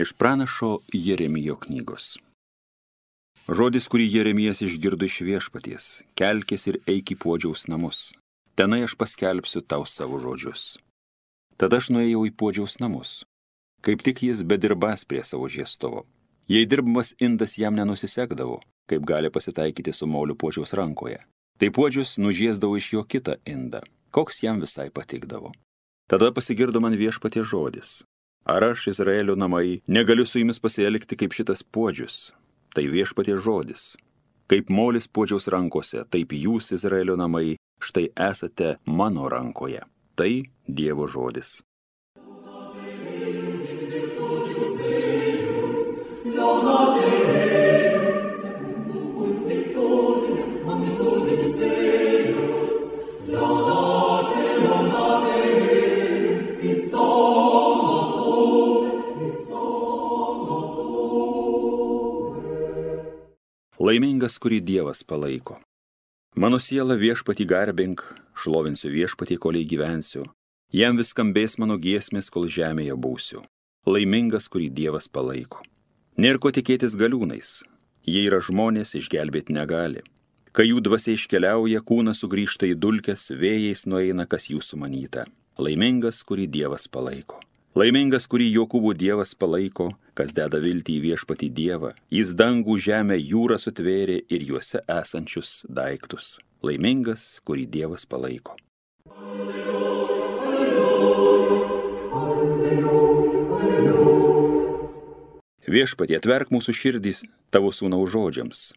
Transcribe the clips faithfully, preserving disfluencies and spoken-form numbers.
Iš pranašo Jeremijo knygos. Žodis, kurį Jeremijas išgirdo iš Viešpaties, kelkis ir eik į Puodžiaus namus. Tenai aš paskelbsiu tau savo žodžius. Tada aš nuėjau į Puodžiaus namus. Kaip tik jis bedirbas prie savo žiestovo. Jei dirbamas indas jam nenusisekdavo, kaip gali pasitaikyti su moliu Puodžiaus rankoje, tai Puodžius nužiesdavo iš jo kitą indą, koks jam visai patikdavo. Tada pasigirdo man Viešpaties žodis. Ar aš, Izraelio namai, negaliu su jumis pasielgti kaip šitas Puodžius? Tai Viešpaties žodis. Kaip molis Puodžiaus rankose, taip jūs, Izraelio namai, štai esate mano rankoje. Tai Dievo žodis. Laimingas, kurį Dievas palaiko. Mano siela Viešpatį garbink, šlovinsiu Viešpatį, koliai gyvensiu. Jam vis skambės mano giesmės, kol žemėje būsiu. Laimingas, kurį Dievas palaiko. Nėr ko tikėtis galiūnais. Jie yra žmonės, išgelbėti negali. Kai jų dvasia iškeliauja, kūnas sugrįžta į dulkes, vėjais nueina, kas jų sumanyta. Laimingas, kurį Dievas palaiko. Laimingas, kurį Jokūbo Dievas palaiko, kas deda viltį į Viešpatį Dievą. Jis dangų, žemę, jūrą sutvėrė ir juose esančius daiktus. Laimingas, kurį Dievas palaiko. Viešpatie, atverk mūsų širdys tavo sūnaus žodžiams.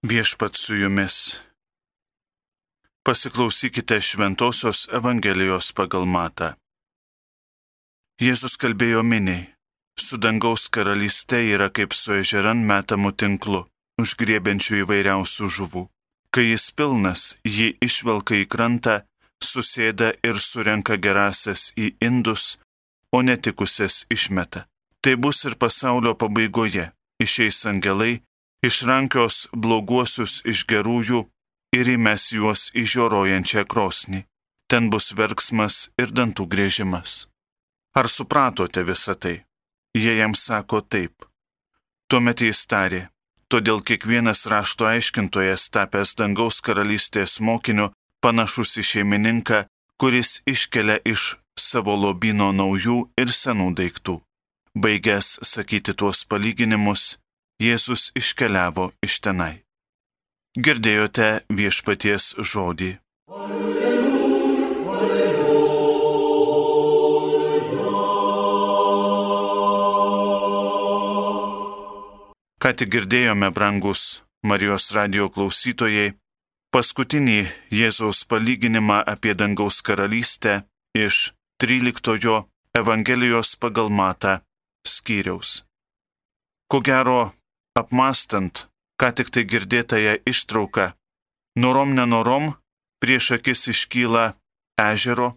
Viešpats su jumis. Pasiklausykite Šventosios Evangelijos pagal Matą. Jėzus kalbėjo miniai, su dangaus karalyste yra kaip su ežeran metamų tinklu, užgriebiančių įvairiausių žuvų. Kai jis pilnas, jį išvelka į krantą, susėda ir surenka gerasias į indus, o netikusias išmeta. Tai bus ir pasaulio pabaigoje. Išeis angelai, išrankios bloguosius iš gerųjų ir įmes juos į žioruojančią krosnį. Ten bus verksmas ir dantų griežimas. Ar supratote visą tai? Jie jam sako taip. Tuomet jis tarė, todėl kiekvienas rašto aiškintojas tapęs dangaus karalystės mokiniu panašus į šeimininką, kuris iškelia iš savo lobyno naujų ir senų daiktų. Baigęs sakyti tuos palyginimus, Jėzus iškeliavo iš tenai. Girdėjote Viešpaties žodį. Alleluja, alleluja. Ką tik girdėjome, brangus Marijos radijo klausytojai, paskutinį Jėzaus palyginimą apie dangaus karalystę iš tryliktojo Evangelijos pagal Matą skyriaus. Ko gero, apmąstant, ką tik tai girdėtąją ištrauką, norom nenorom prieš akis iškyla ežero,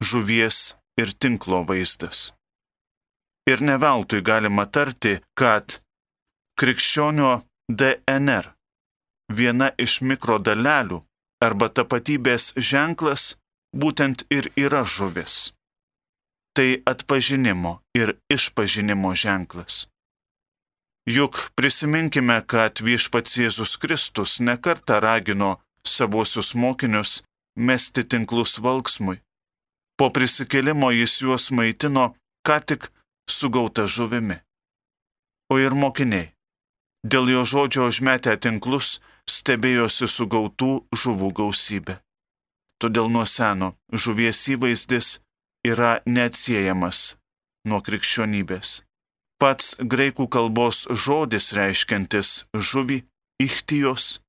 žuvies ir tinklo vaizdas. Ir ne veltui galima tarti, kad krikščionio D N R, viena iš mikrodalelių arba tapatybės ženklas, būtent ir yra žuvis. Tai atpažinimo ir išpažinimo ženklas. Juk prisiminkime, kad Viešpats Jėzus Kristus nekartą ragino savuosius mokinius mesti tinklus valksmui. Po prisikėlimo jis juos maitino ką tik sugauta žuvimi. O ir mokiniai, dėl jo žodžio užmetę tinklus, stebėjosi sugautų žuvų gausybė. Todėl nuo seno žuvies įvaizdis yra neatsiejamas nuo krikščionybės. Pats graikų kalbos žodis reiškiantis žuvį, ichtijos,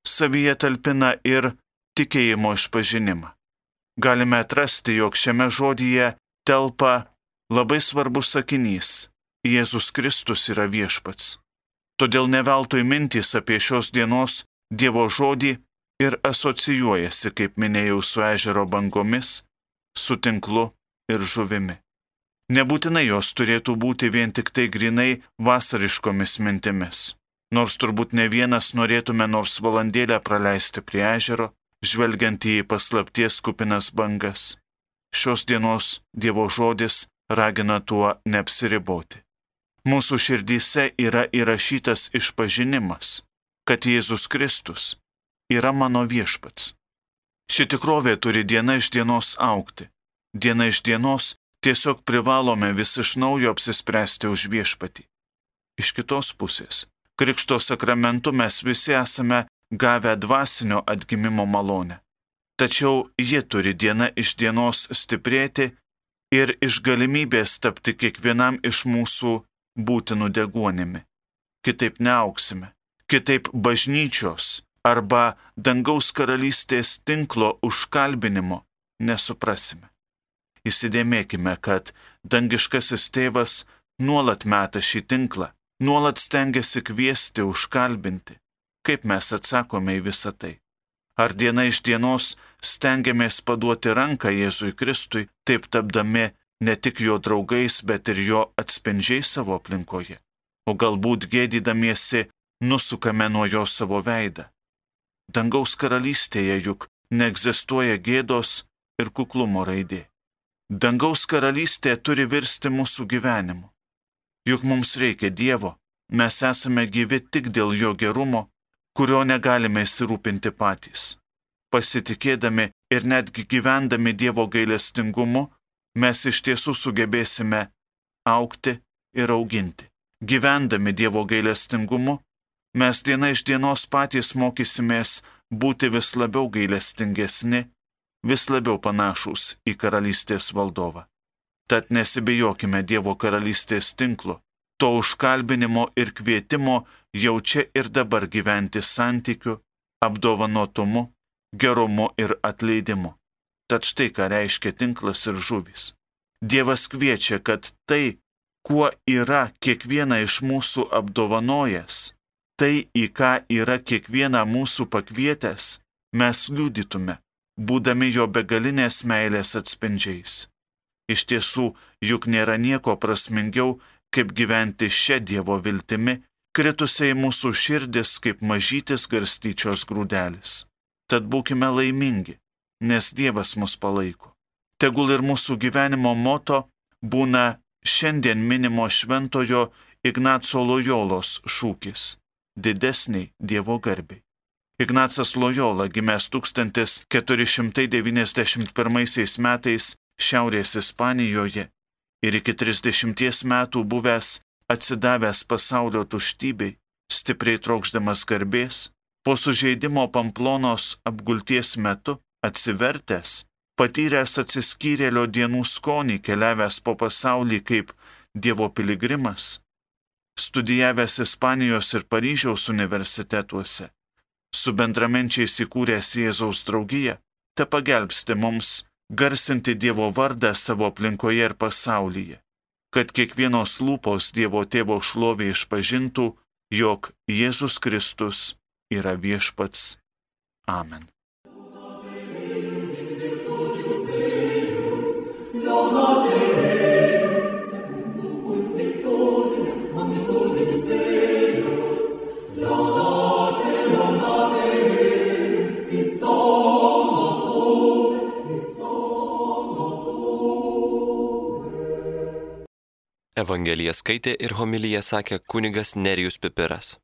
savyje talpina ir tikėjimo išpažinimą. Galime atrasti, jog šiame žodyje telpa labai svarbus sakinys – Jėzus Kristus yra Viešpats. Todėl ne veltui mintys apie šios dienos Dievo žodį ir asocijuojasi, kaip minėjau, su ežero bangomis, su tinklu ir žuvimi. Nebūtinai jos turėtų būti vien tik tai grinai vasariškomis mintimis. nors turbūt ne vienas norėtume nors valandėlę praleisti prie ežero, žvelgiant į paslapties kupinas bangas. Šios dienos Dievo žodis ragina tuo neapsiriboti. Mūsų širdyse yra įrašytas išpažinimas, kad Jėzus Kristus yra mano viešpats. Ši tikrovė turi diena iš dienos augti. Diena iš dienos tiesiog privalome vis iš naujo apsispręsti už viešpatį. Iš kitos pusės, Krikšto sakramentu mes visi esame gavę dvasinio atgimimo malonę. Tačiau ji turi diena iš dienos stiprėti ir iš galimybės tapti kiekvienam iš mūsų būtinų deguonimi. Kitaip neauksime, kitaip bažnyčios arba dangaus karalystės tinklo užkalbinimo nesuprasime. Įsidėmėkime, kad dangiškasis tėvas nuolat meta šį tinklą, nuolat stengiasi kviesti, užkalbinti. Kaip mes atsakome į visą tai? Ar diena iš dienos stengiamės paduoti ranką Jėzui Kristui, taip tapdami ne tik jo draugais, bet ir jo atspindžiai savo aplinkoje? O galbūt gėdydamiesi nusukame nuo jo savo veidą? Dangaus karalystėje juk neegzistuoja gėdos ir kuklumo raidė. Dangaus karalystė turi virsti mūsų gyvenimu. Juk mums reikia Dievo, mes esame gyvi tik dėl jo gerumo, kurio negalime įsirūpinti patys. Pasitikėdami ir netgi gyvendami Dievo gailestingumu, mes iš tiesų sugebėsime augti ir auginti. Gyvendami Dievo gailestingumu, mes diena iš dienos patys mokysimės būti vis labiau gailestingesni, vis labiau panašūs į karalystės valdovą. Tad nesibijokime Dievo karalystės tinklo, to užkalbinimo ir kvietimo jau čia ir dabar gyventi santykiu, apdovanotumu, gerumu ir atleidimu. Tad štai ką reiškia tinklas ir žuvys. Dievas kviečia, kad tai, kuo yra kiekvieną iš mūsų apdovanojęs, tai, į ką yra kiekvieną mūsų pakvietęs, mes liudytume, būdami jo begalinės meilės atspindžiais. Iš tiesų, juk nėra nieko prasmingiau, kaip gyventi šią Dievo viltimi, kritusiai mūsų širdis kaip mažytis garstyčios grūdelis. Tad būkime laimingi, nes Dievas mus palaiko. Tegul ir mūsų gyvenimo moto būna šiandien minimo šventojo Ignaco Lojolos šūkis – didesniai Dievo garbiai. Ignacas Lojola, gimęs tūkstantis keturi šimtai devyniasdešimt pirmaisiais metais Šiaurės Ispanijoje ir iki trisdešimties metų buvęs atsidavęs pasaulio tuštybei, stipriai trokšdamas garbės, po sužeidimo Pamplonos apgulties metu atsivertęs, patyręs atsiskyrėlio dienų skonį, keliavęs po pasaulį kaip Dievo piligrimas, studijavęs Ispanijos ir Paryžiaus universitetuose, su bendraminčiais įkūręs Jėzaus draugiją, te pagelbsti mums garsinti Dievo vardą savo aplinkoje ir pasaulyje, kad kiekvienos lūpos Dievo Tėvo šlovė išpažintų, jog Jėzus Kristus yra viešpats. Amen. Evangeliją skaitė ir homiliją sakė kunigas Nerijus Pipiras.